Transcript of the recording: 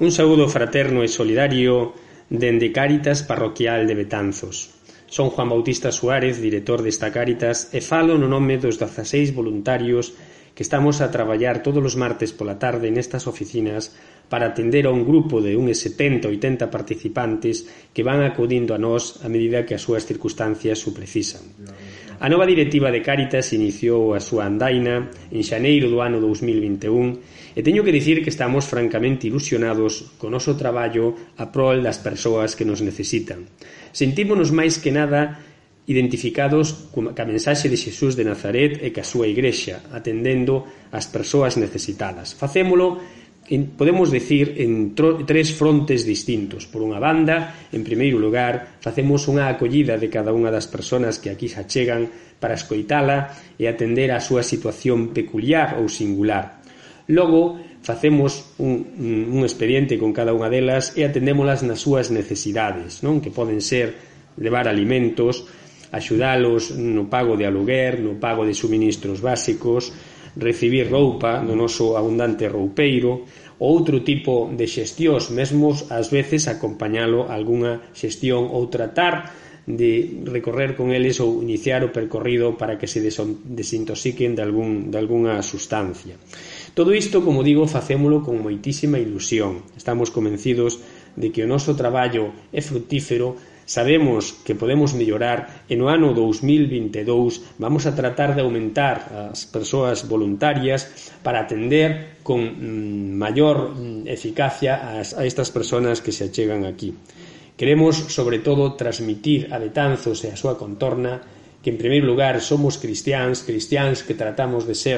Un saúdo fraterno e solidario dende Cáritas Parroquial de Betanzos. Son Juan Bautista Suárez, director desta Cáritas, e falo no nome dos 16 voluntarios que estamos a traballar todos os martes pola tarde nestas oficinas para atender a un grupo de uns 70-80 participantes que van acudindo a nós a medida que as súas circunstancias o precisan. A nova directiva de Cáritas iniciou a súa andaina en xaneiro do ano 2021 e teño que dicir que estamos francamente ilusionados co noso traballo a prol das persoas que nos necesitan. Sentímonos máis que nada identificados ca mensaxe de Xesús de Nazaret e ca súa igrexa, atendendo as persoas necesitadas. Facémolo, podemos decir, en tres frontes distintos. Por unha banda, en primeiro lugar, facemos unha acollida de cada unha das persoas que aquí se achegan para escoitala e atender a súa situación peculiar ou singular. Logo, facemos un expediente con cada unha delas e atendémolas nas súas necesidades, non? Que poden ser levar alimentos, axudalos no pago de aluguer, no pago de suministros básicos, recibir roupa no noso abundante roupeiro, ou outro tipo de xestións, mesmo ás veces acompañalo a algunha xestión ou tratar de recorrer con eles ou iniciar o percorrido para que se desintoxiquen de algunha sustancia. Todo isto, como digo, facémolo con moitísima ilusión. Estamos convencidos de que o noso traballo é fructífero, sabemos que podemos mellorar e no ano 2022 vamos a tratar de aumentar as persoas voluntarias para atender con maior eficacia a estas persoas que se achegan aquí. Queremos, sobre todo, transmitir a Betanzos e a súa contorna que, en primeiro lugar, somos cristiáns que tratamos de ser